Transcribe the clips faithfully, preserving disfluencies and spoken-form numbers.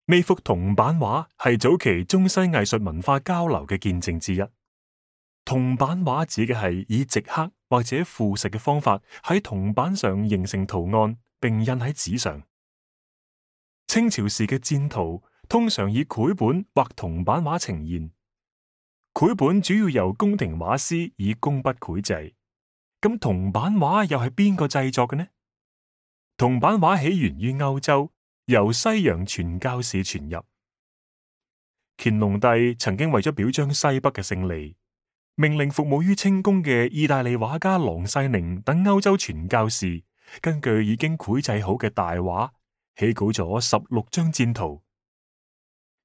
呢幅銅版畫係早期中西藝術文化交流嘅見證之一。銅版畫指嘅係以直刻或者附蝕嘅方法喺銅板上形成圖案，並印喺紙上。清朝時嘅戰圖通常以繪本或銅版畫呈現，繪本主要由宮廷畫師以工筆繪製。咁銅版畫又係邊個製作嘅呢？銅版畫起源於歐洲，由西洋傳教士傳入。乾隆帝曾經為咗表彰西北嘅勝利，命令服務於清宮嘅意大利畫家郎世寧等歐洲傳教士，根據已經繪製好嘅大畫，起稿咗十六張戰圖。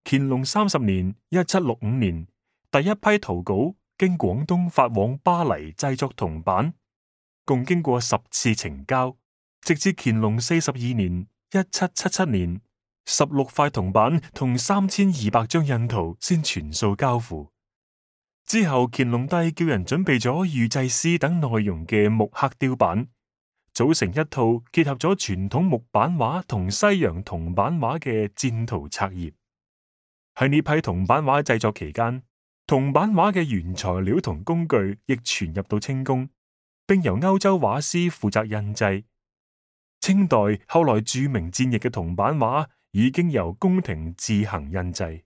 乾隆三十年（一七六五年），第一批圖稿經廣東發往巴黎製作銅版，共經過十次呈交，直至乾隆四十二年（一七七七年），十六塊銅版同三千二百張印圖先全數交付。之後，乾隆帝叫人準備咗御製詩等內容嘅木刻雕版，組成一套結合咗傳統木版畫同西洋銅版畫嘅戰圖冊頁。喺呢批銅版畫製作期間，銅版畫嘅原材料同工具亦傳入到清宮，並由歐洲畫師負責印製。清代後來著名戰役嘅銅版畫已經由宮廷自行印製。